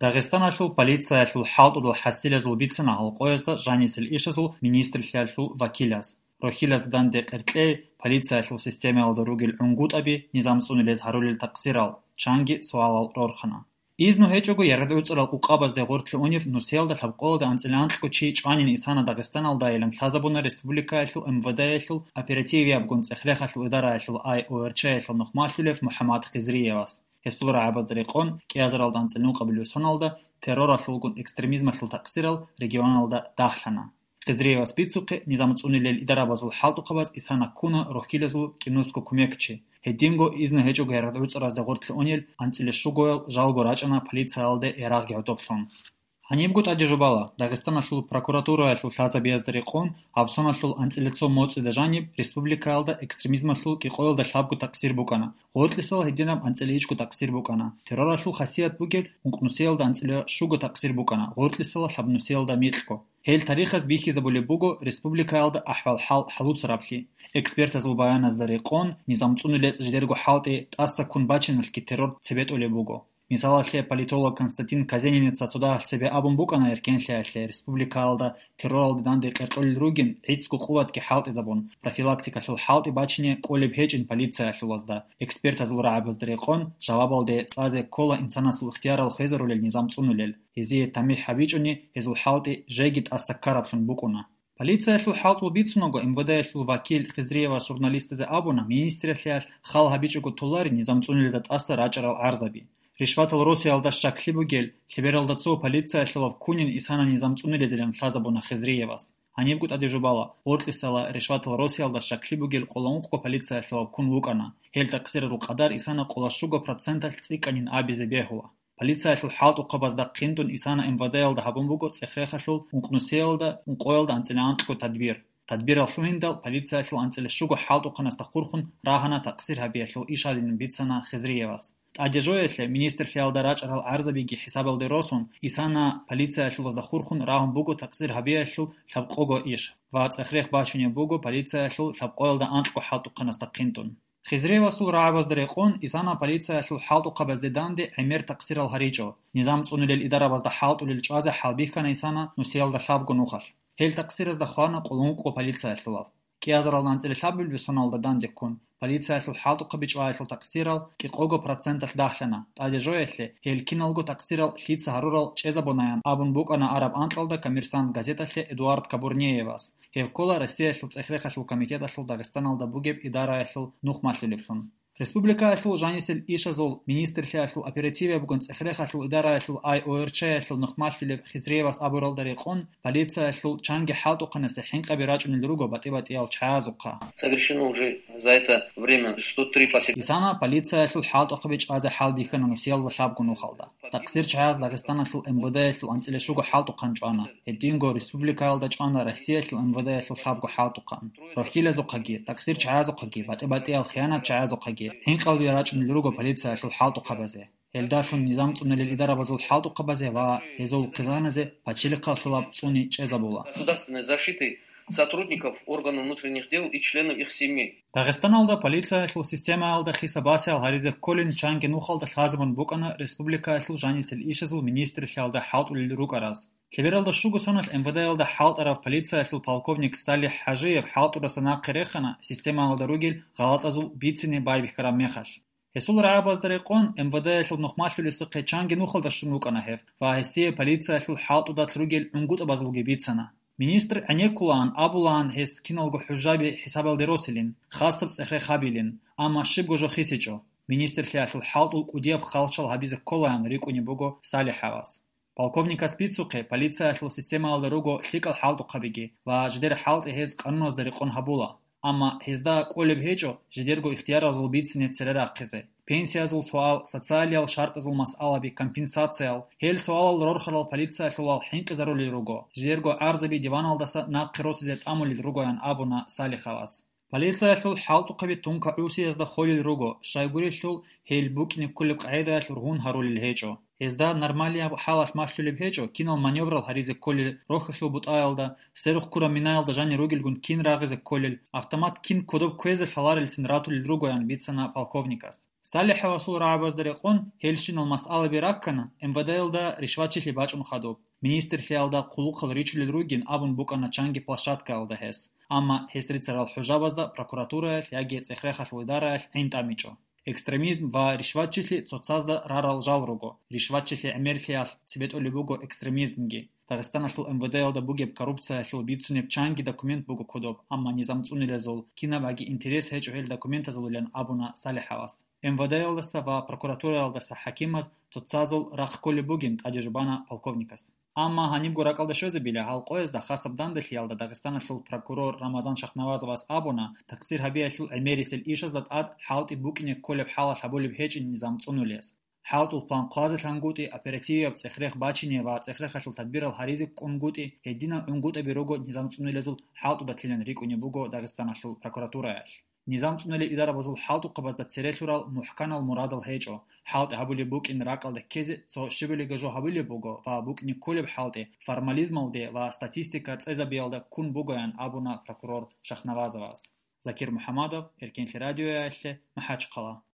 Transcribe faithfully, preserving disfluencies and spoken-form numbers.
Дагъистаналъул полициялъул хӀалтӀудал хӀасилазул бицана гьалкъоязда жанисел ишазул министрлъиялъул вакилаз. Рохьилазда данде къеркьей полициялъул системаялда ругел гӀунгутӀаби низам цӀунулез гьарулел такъсирал, чанги суалал рорхана. Изну гьечӀого яргъи гӀуцӀарал къукъабазде гъоркье унев нусиялда лъабкъоялда анцӀила анкьго чи чӀванин исана Дагъистаналдайилан лъазабуна республикаялъул МВД-ялъул оперативиябгун цӀех-рехалъул идараялъул ай ОРЧ-ялъул нухмалъулев МухӀаммад Хизриевас. Гьесул рагӀабазда рекъон кӀиазаралда анцӀила ункъабилеб соналда терроралъулгун экстремизмалъул такъсирал регионалда дагьлъана. Хизриевас бицухъе, низам цӀунилел идарабазул хӀалтӀухъабаз исана ккуна рохьилазул кӀинусго кумекчи. Гьединго изну гьечӀого яргъи гӀуцӀаразда гъоркье унел анцӀила щугоял жалго рачӀана полициялде ярагъги гӀодоблъун. Гьанибго тӀаде жубала, Дагъистаналъул прокуратураялъул лъазабиязда рекъон, гьабсоналъул анцӀила цо моцӀида жаниб республикаялда экстремизмалъул кӀикъоялда лъабго такъсир букӀана, гъоркьисал гьединаб анцӀила ичӀго такъсир букӀана, терроралъул хасият бугел ункънусиялда анцӀила щуго такъсир букӀана, гъоркьисал лъабнусиялда микьго. Гьел тарихаз бихьизабулеб буго республикаялда ахӀвал-хӀал хӀалуцараблъи. Экспертазул баяназда рекъон, низам цӀунулел жидерго хӀалтӀи тӀаса ккун бачиналъги террор цебетӀулеб буго. Мисалалъе, политолог Константин Казениница цо дагьалъ цебе абун букӀана эркенлъиялъе республикаялда терроралде данде къеркьолел ругин, гӀицӀго къуватги хӀалтӀизабун, профилактикалъул хӀалтӀи бачине кӀолеб гьечӀин полициялъулазда. Экспертазул рагӀабазда рекъон, жавабалде цӀазе ккола инсанасул ихтиярал хвезарулел низам цӀунулел. Гьезие тамихӀ гьабичӀони, гьезул хӀалтӀи жеги тӀаса ккараблъун букӀуна. Полициялъул хӀалтӀул бицунаго, МВД-ялъул вакил Хизриевас журналистазе абуна, министралъиялъ хал гьабичӀого толари низам цӀунилда тӀаса рачӀарал гӀарзаби. Ришватал росиялда щаклъи бугел, лъебералда цо полициялъулав ккунин исана низам цӀунилезилан лъазабуна Хизриевас. Гьанибго тӀаде жубала, гъоркьисала ришватал росиялда щаклъи бугел къоло ункъго полициялъулав ккун вукӀана. Гьел такъсирарул къадар исана къоло щуго проценталъ цӀикӀкӀанин абизе бегьула. Полициялъул хӀалтӀухъабазда хъинтӀун исана МВД-ялда гьабун буго цӀех-рехалъул ункънусиялда ункъоялда анцӀила анкьго тадбир. Тадбирал лъугьиндал полициялъул анцӀила щуго хӀалтӀухъанасда хурхун рагьана такъсир гьабиялъул иш гьадинан бицана Хизриевас. ТӀаде жоялъе министрлъиялда рачӀарал гӀарзабиги хӀисабалде росун, исана полициялъулазда хурхун рагьун буго такъсир гьабиялъул лъабкъого иш ва цӀех-рех бачунеб буго полициялъул лъабкъоялда анкьго хӀалтӀухъанасда хъинтӀун. Хизриевасул рагӀабазда рекъон, исана полициялъул хӀалтӀухъабазде данде гӀемер такъсирал гьаричӀо. Низам цӀунилел идарабазда хӀалтӀулел чӀвазе хӀалбихьана исана нусиялда лъабго нухалъ. Гьел такъсиразда хвана къулункъго полициялъулав. КӀиазарал анцӀила лъабабилеб соналда данде ккун, полициялъул хӀалтӀухъаби чӀваялъул такъсирал кӀикъого проценталъ дагьлъана. ТӀаде жоялъе, гьел киналго такъсирал лъица гьарурал чӀезабунаян абун букӀана араб анкьалда «Коммерсант» газеталъе Эдуард Кабурниевас. Гьев ккола Россиялъул цӀех-рехалъул комитеталъул Дагъистаналда бугеб идараялъул нухмалъулевлъун. Республикаялъул жанисел ишазул министрлъиялъул оперативиябгун цӀех-рехалъул идараялъул ай ОРЧ-ялъул нухмалъулев Хизриевас абуралда рекъон, полициялъул чанги хӀалтӀухъанасе хӀинкъаби рачӀунел руго батӀи-батӀиял чагӀазухъа. Совершено уже за это время сто три посещения. Исана полициялъул хӀалтӀухъаби чӀвазе хӀалбихьана нусиялда лъабго нухалда. Такъсир чагӀаз Дагъистаналъул МВД-ялъул анцӀила щуго хӀалтӀухъан чӀвана. Гьединго республикаялда чӀвана Россиялъул МВД-ялъул лъабго хӀалтӀухъан. Рохьилазухъаги, такъсир чагӀазухъаги, батӀи-батӀиял хиянат чагӀазухъаги хӀинкъалби рачӀунел руго полициялъул хӀалтӀухъабазе. Гьелдалъун низам цӀунулел идарабазул хӀалтӀухъабазе ва гьезул хъизаназе пачалихъалъулаб цӀуни чӀезабула. Государственной защиты сотрудников органов внутренних дел и членов их семей. Дагъистаналда полициялъул системаялда хисабасиял гьаризе кколин чанги нухалда лъазабун букӀана республикаялъул жанисел ишазул министрлъиялда хӀалтӀулел рукӀараз. Лъебералда щуго соналъ МВД-ялда хӀалтӀарав полициялъул полковник Салих ХӀажиев хӀалтӀураса нахъе рехана системаялда ругел гъалатӀазул бицине байбихьараб мехалъ. Гьесул рагӀабазда рекъон, МВД-ялъул нухмалъулесухъе чанги нухалда щун вукӀана гьев ва гьесие полициялъул хӀалтӀудалъ ругел гӀунгутӀабазулги бицана. Министр гӀенеккулаан абулаан гьес киналго хӀужаби хӀисабалде росилин, хасаб цӀех-рех гьабилин, амма щибго жо хисичӀо. Министрлъиялъул хӀалтӀул кӀудияб халчал гьабизе кколаан рикӀкӀунеб буго Салихьавас. Полковникас бицухъе, полициялъул системаялда руго лъикӀал хӀалтӀухъабиги ва жидер хӀалтӀи гьез къануназда рекъон гьабула. Амма гьезда кӀолеб гьечӀо жидерго ихтияразул бицине цере рахъизе. Пенсиязул суал, социалиял шартӀазул масъалаби, компенсациял, гьел суалал рорхарал полициялъулал хӀинкъизарулел руго, жидерго гӀарзаби диваналдаса нахъе росизе тӀамулел ругоян абуна Салихавас. Полициялъул хӀалтӀухъаби тункагӀусиязда холел руго, щайгурелъул гьел букӀине кколеб къагӀидаялъ ругьун гьарулел гьечӀо. Гьезда нормалияб хӀалалъ малъулеб гьечӀо, кинал маневрал гьаризе кколел рохьулъул бутӀаялда, сверухъ ккураб минаялда жанир ругелгун кин рагъизе кколел, автомат кин кодоб кквезе лъаларелцин ратулел ругоян бицана полковникас. Салиховасул рагӀабазда рекъон гьелщинал масъалаби раккана, МВД-ялда ришватчилъи бачӀун хадуб. Министрлъиялда хъулухъал ричулел ругин абун букӀана чанги площадкаялда гьес, амма гьес рицарал хӀужабазда прокуратураялъ яги цӀех-рехалъул идараялъ гӀин тӀамичӀо. Экстремизм ва ришватчилъи цоцазда рарал жал руго. Ришватчилъи гӀемерлъиялъ цебетӀолеб буго экстремизмги. Дагъистаналъул МВД-ялда бугеб коррупциялъул бицунеб чанги документ буго кодоб, амма низамцӀунулезул кинаб аги интерес гьечӀо гьел документазулилан абуна Салиховас. МВД-ялдаса ва прокуратураялдаса хӀакимаз цоцазул рахъ кколеб бугин тӀаде жубана полковникас. Амма гьанибго ракӀалда щвезабила, гьал къоязда хасаб данделъиялда Дагъистаналъул прокурор Рамазан Шахнавазовас абуна, такъсир гьабиялъул гӀемерисел ишазда тӀад хӀалтӀи букӀине кколеб хӀалалъ гьабулеб гьечӀин низамцӀунулес. ХӀалтӀул план хъвазе лъангутӀи, оперативияб цӀех-рех бачине ва цӀех-рехалъул тадбирал гьаризе ккунгутӀи, гьединал унгутӀаби руго низамцӀунулезул хӀалтӀудалъилан рикӀкӀунеб буго Дагъистаналъул прокуратураялъ. НизамцӀунулел идарабазул хӀалтӀухъабазда цере лъурал мухӀканал мурадал гьечӀо. ХӀалтӀи гьабулеб букӀин ракӀалде ккезе цо щибилиги жо гьабулеб буго ва букӀине кколеб хӀалтӀи формализмалде ва статистика цӀезабиялда ккун бугоян абуна прокурор Шахнавазовас. Закир МухӀамадов, Эркенлъи радиоялъе, МахӀачхъала.